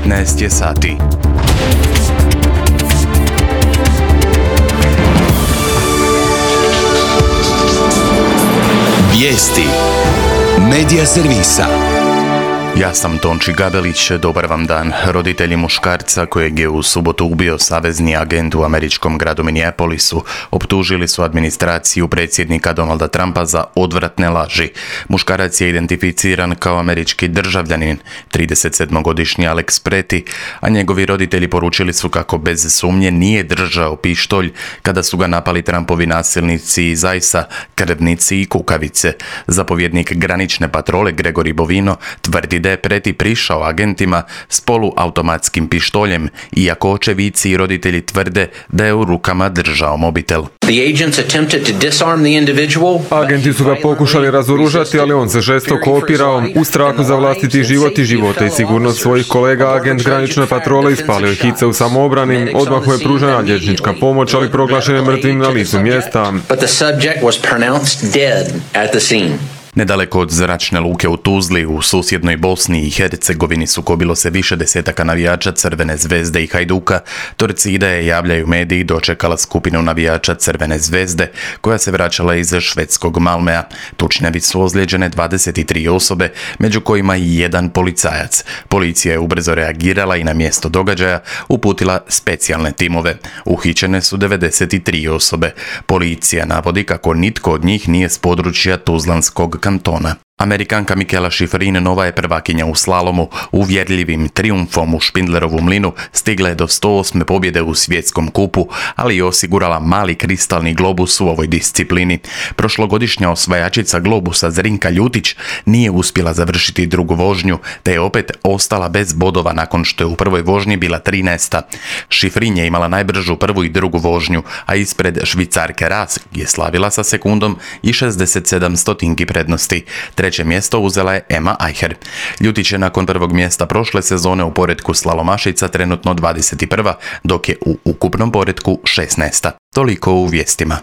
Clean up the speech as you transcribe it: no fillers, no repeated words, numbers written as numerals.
15 je sati. Vijesti Medija servisa. Ja sam Tonči Gabelić, dobar vam dan. Roditelji muškarca kojeg je u subotu ubio savezni agent u američkom gradu Minneapolisu optužili su administraciju predsjednika Donalda Trumpa za odvratne laži. Muškarac je identificiran kao američki državljanin, 37-godišnji Alex Preti, a njegovi roditelji poručili su kako bez sumnje nije držao pištolj kada su ga napali Trumpovi nasilnici iz ICE-a, krvnici i kukavice. Zapovjednik granične patrole Gregory Bovino tvrdi da je Preti prišao agentima s poluautomatskim pištoljem, iako očevici i roditelji tvrde da je u rukama držao mobitel. Agenti su ga pokušali razoružati, ali on se žestoko opirao. U strahu za vlastiti život i života i sigurnost svojih kolega, agent granične patrole ispalio je hice u samoobrani. Odmah mu je pružena liječnička pomoć, ali proglašen je mrtvim na licu mjesta. Nedaleko od zračne luke u Tuzli u susjednoj Bosni i Hercegovini sukobilo se više desetaka navijača Crvene zvezde i Hajduka. Torcida javljaju mediji, dočekala skupinu navijača Crvene zvezde koja se vraćala iz švedskog Malmea. Tučnjavi su ozlijeđene 23 osobe, među kojima i jedan policajac. Policija je ubrzo reagirala i na mjesto događaja uputila specijalne timove. Uhićene su 93 osobe. Policija navodi kako nitko od njih nije s područja Tuzlanskog kantona. Amerikanka Mikaela Shiffrin nova je prvakinja u slalomu. Uvjerljivim trijumfom u Špindlerovu mlinu stigla je do 108. pobjede u svjetskom kupu, ali i osigurala mali kristalni globus u ovoj disciplini. Prošlogodišnja osvajačica globusa Zrinka Ljutić nije uspjela završiti drugu vožnju, te je opet ostala bez bodova nakon što je u prvoj vožnji bila 13. Shiffrin je imala najbržu prvu i drugu vožnju, a ispred Švicarke Ras je slavila sa sekundom i 67 stotinki prednosti. Treće mjesto uzela je Emma Eicher. Ljutić je nakon prvog mjesta prošle sezone u poretku slalomašica trenutno 21. dok je u ukupnom poretku 16. Toliko u vijestima.